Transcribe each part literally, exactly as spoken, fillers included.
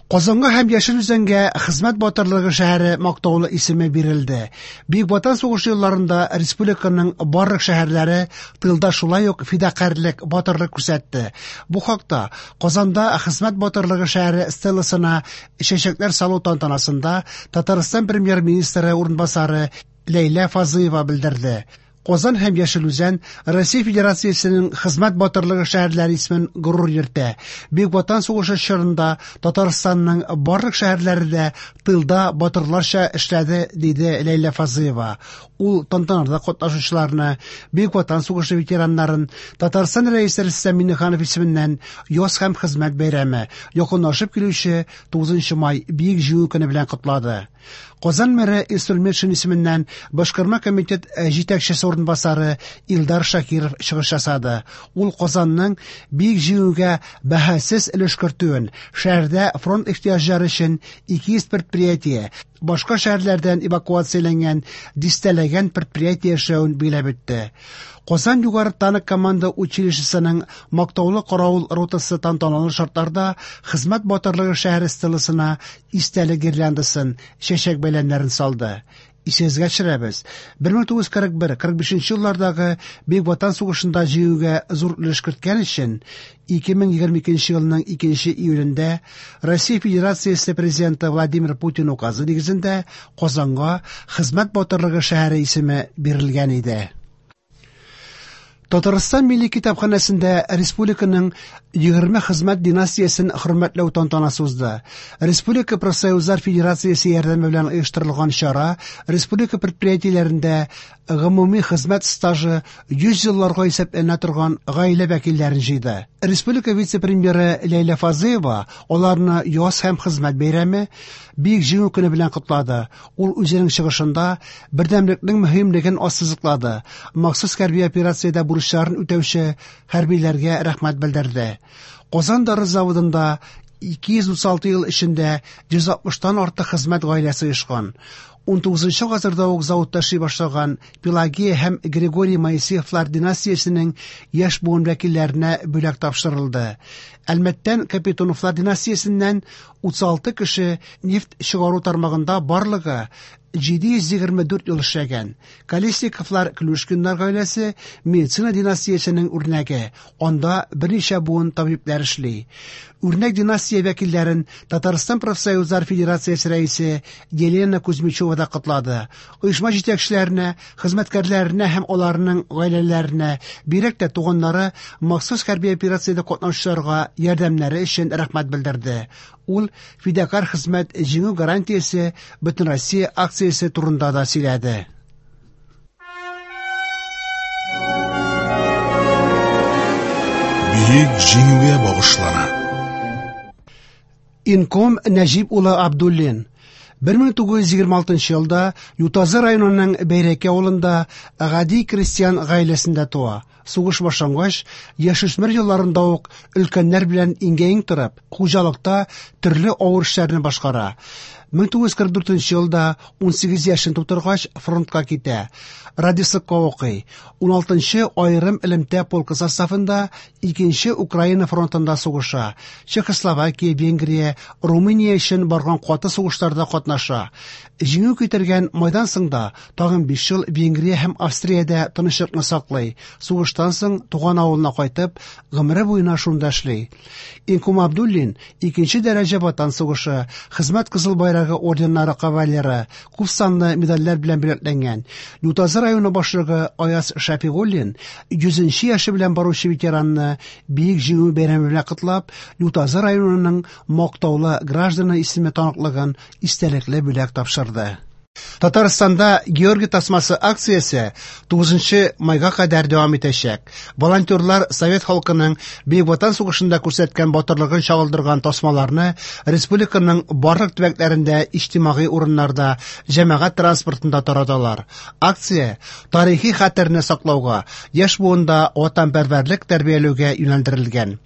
Казанга һәм Яшел Үзәнгә Хезмәт батырлыгы шәһәре мактаулы исеме бирелде. Бөек Ватан сугышы елларында республиканың барлык шәһәрләре тылда шулай ук фидакарьлек, батырлык күрсәтте. Бу хакта Казанда Хезмәт батырлыгы шәһәре стеласына чәчәкләр салу тантанасында Татарстан премьер-министры урынбасары Ләйлә Фазлыева белдерде. Казан һәм Яшел Үзән Россия Федерациясенең Хезмәт батырлыгы шәһәрләре исемен горур йөртә. Бөек Ватан сугышы чорында Татарстанның барлык шәһәрләре дә тылда батырларча эшләде, диде Ләйлә Фазлыева. Ул тантанада катнашучыларны, Бөек Ватан сугышы ветераннарын Татарстан Рәисе Рөстәм Миңнеханов исеменнән Яз һәм хезмәт бәйрәме, якынлашып килүче тугызынчы май Бөек Җиңү көне белән котлады. Казан мэры Илсур Метшин исеменнән Башкарма комитет җитәкчесе урынбасары Илдар Шакиров чыгыш ясады. Ул Казанның Бөек Җиңүгә бәһасез өлеш кертүен, шәһәрдә фронт ихтыяҗлары өчен ике йөз предприятие, башка шәһәрләрдән эвакуацияләнгән дистәләгән предприятие эшләвен билгеләп үтте. Казан югары танк команда училищесының мактаулы каравыл ротасы тантаналы шартларда Хезмәт батырлыгы шәһәре стеласына истәлек гирляндасын, чәчәк бәйләмнәрен салды. Исегезгә төшерәбез, бер мең тугыз йөз кырык бер кырык бишенче еллардагы Бөек Ватан сугышында җиңүгә зур өлеш керткән өчен ике мең егерме икенче елның икенче июлендә Россия Федерациясе Президенты Владимир Путин указы нигезендә Казанга Хезмәт батырлыгы шәһәре исеме бирелгән иде. Татарстан Милли китапханәсендә республиканың егерме хезмәт династиясен хөрмәтләү тантанасы узды. Республика Профсоюзлар Федерациясе ярдәме белән оештырылган чара республика предприятиеләрендә гомуми хезмәт стажы йөз елларга исәпләнә торган гаилә вәкилләрен җыйды. Республика вице-премьеры Ләйлә Фазлыева аларны яз һәм хезмәт бәйрәме, Бөек Җиңү көне белән котлады. Ул үзенең чыгышында бердәмлекнең мөһимлеген ассызыклады. Махсус хәрби операциядә бурычларын үтәүче хәрбиләргә рәхмәт белдерде. Казан дары заводында ике йөз утыз алты ел эчендә йөз алтмыштан артык хезмәт гаиләсе оешкан. Ун тугызынчы гасырда ук заводта эшли башлаган Пелагея һәм Григорий Моисеевлар династиясенең яшь буын вәкилләренә бүләк тапшырылды. Әлмәттән Капитоновлар династиясеннән утыз алты кеше нефть чыгару тармагында барлыгы җиде йөз егерме дүрт ел эшләгән. Колесниковлар Клюшкиннар гаиләсе медицина династиясенең үрнәге. Анда берничә буын табибләр эшли. Үрнәк династия вәкилләрен Татарстан Профсоюзлар Федерациясе рәисе Елена Кузьмичева да котлады. Оешма җитәкчеләренә, хезмәткәрләренә һәм аларның гаиләләренә, бигрәк тә туганнары махсус хәрби операциядә катнашучыларга ярдәмнәре өчен рәхмәт белдерде. Ул фидакарь хезмәт җиңү гарантиясе Бөтенроссия акциясе турында да сөйләде. Бөек җиңүгә багышлана. Инком Нәҗип улы Абдуллин бер мең тугыз йөз егерме алтынчы елда Ютазы районының Бәйрәкә авылында гади крестьян гаиләсендә туа. Сугыш башлангач, яшүсмер елларында ук өлкәннәр белән иңгә-иң торып, хуҗалыкта төрле авыр эшләрне башкара. Мең тугыз йөз кырык дүртенче елда ун сигез яшен тутыргач фронтка китә. Радисыкка укый. Ун алтынчы аерым элемтә полкы составында икенче Украина фронтында сугыша. Чехословакия, Венгрия, Румыния өчен барган каты сугышларда катнаша. Җиңү китергән майдан соң да тагын биш ел Венгрия һәм Австриядә тынычлыкны саклый. Сугыштан соң туган авылына кайтып, гомере буена шунда эшли. Инком Абдуллин икенче дәрәҗә Ватан сугышы, Хезмәт Кызыл Байрагы орденнары кавалеры, күп санлы медальләр белән бүләкләнгән. Ютазы районы башлыгы Аяз Шәфигуллин йөзенче яше белән баручы ветеранны Бөек Җиңү бәйрәме белән котлап, Ютазы районының мактаулы гражданы исеме таныклыгын истәлекле бүләк тапшырды. Татарстанда Георгий тасмасы акциясе тугызынчы майга кадәр дәвам итәчәк. Волонтерлар совет халкының Бөек Ватан сугышында күрсәткән батырлыгын чагылдырган тасмаларны республиканың барлык төбәкләрендә иҗтимагый урыннарда, җәмәгать транспортында тараталар. Акция тарихи хәтерне саклауга, яшь буында ватанпәрвәрлек тәрбияләүгә юнәлдерелгән.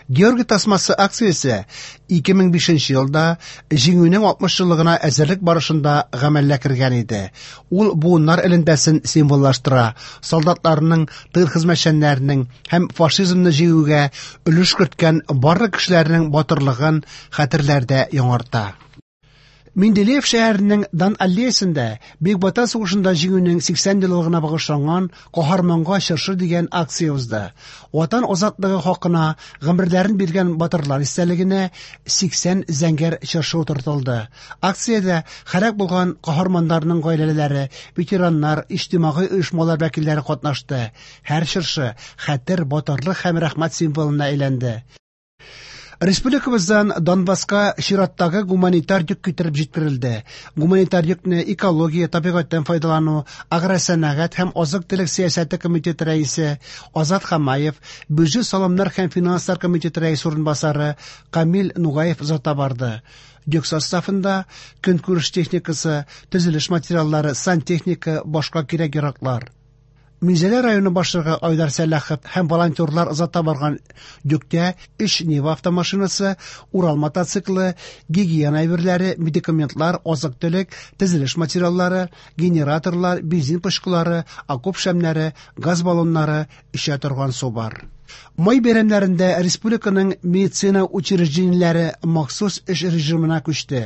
Георгий тасмасы акциясе ике мең бишенче елда Җиңүнең алтмыш еллыгына әзерлек барышында гамәлгә кергән иде. Ул буыннар элемтәсен символлаштыра, солдатларның, тыл хезмәтчәннәренең һәм фашизмны җиңүгә өлеш керткән барлык кешеләрнең батырлыгын хәтерләрдә яңарта. Менделеев шәһәренең Дан аллеясында Бөек Ватан сугышында җиңүнең сиксән еллыгына багышланган Каһарманга чыршы дигән акция узды. Ватан азатлыгы хакына гомерләрен биргән батырлар истәлегенә сиксән зәңгәр чыршы утыртылды. Акциядә һәлак булган каһарманнарның гаиләләре, ветераннар, иҗтимагый оешмалар вәкилләре катнашты. Һәр чыршы хәтер, батырлык һәм рәхмәт символына әйләнде. Республикабыздан Донбасска чираттагы гуманитар йөк китереп җиткерелде. Гуманитар йөкне экология, табигатьтән файдалану, агросәнәгать һәм азык-төлек сәясәте комитеты рәисе Азат Хамаев, бюджет салымнар һәм финанслар комитеты рәисе урынбасары Камил Нугаев озата барды. Йөк составында көнкүреш техникасы, төзелеш материаллары, сантехника, башка кирәк-яраклар. Минзәлә районы башлыгы Айдар Сәлахов һәм волонтерлар озата барган йөктә өч Нива автомашинасы, Урал мотоциклы, гигиена әйберләре, медикаментлар, азык-төлек, төзелеш материаллары, генераторлар, бензин пычкылары, окоп шәмнәре, газ баллоннары, эчә торган су бар. Май бәйрәмнәрендә республиканың медицина учреждениеләре махсус эш режимына күчте.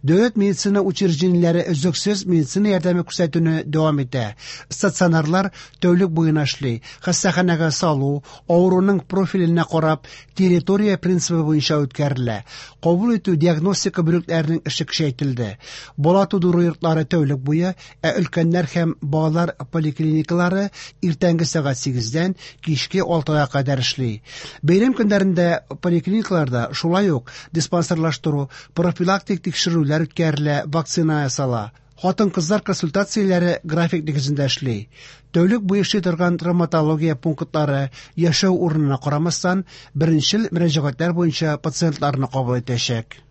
Дәүләт медицина учреждениеләре өзлексез медицина ярдәме күрсәтүне дәвам итә. Стационарлар тәүлек буена эшли. Хастаханәгә салу, авыруның профиленә карап, территория принцибы буенча үткәрелә. Кабул итү диагностика бүлекләренең эше көчәйтелде. Бала тудыру йортлары тәүлек буе, ә өлкәннәр һәм балалар поликлиникалары иртәнге сәгать сигездән кичке алтыга кадәр эшли. Бәйрәм көннәрендә поликлиникаларда шулай ук диспансерлаштыру, профилактик тикшерүләр үткәрелә, вакцина ясала. Хатын-кызлар консультацияләре график нигезендә эшли. Тәүлек буе эшли торган травматология пунктлары яшәү урынына карамастан беренчел мөрәҗәгатьләр буенча пациентларны кабул итәчәк.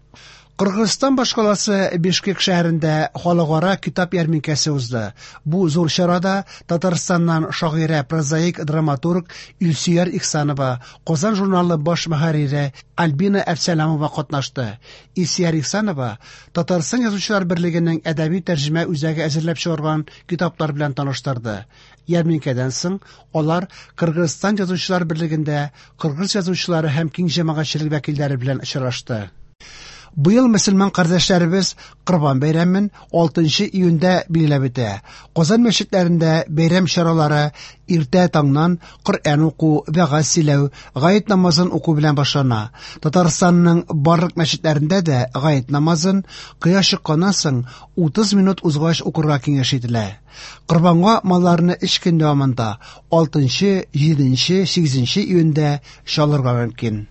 Кыргызстан башкаласы Бишкек шәһәрендә халыкара китап ярминкәсе узды. Бу зур чарада Татарстаннан шагыйрә, прозаик, драматург Илсөяр Ихсанова, Казан журналы баш мөхәррире Альбина Әпсәләмова катнашты. Илсөяр Ихсанова Татарстан Язучылар берлегенең әдәби тәрҗемә үзәге әзерләп чыгарган китаплар белән таныштырды. Ярминкәдән соң алар Кыргызстан Язучылар берлегендә кыргыз язучылары һәм киң җәмәгатьчелек вәкилләре белән очрашты. Быел мөселман кардәшләребез Корбан бәйрәмен алтынчы июньдә билгеләп үтә. Казан мәчетләрендә бәйрәм чаралары иртә таңнан Коръән уку, вәгазь сөйләү, гает намазын уку белән башлана. Татарстанның барлык мәчетләрендә дә гает намазын кояш чыкканнан соң утыз минут узгач укырга киңәш ителә. Корбанга малларны өч көн дәвамында алтынчы, җиденче, сигезенче июньдә чалырга мөмкин.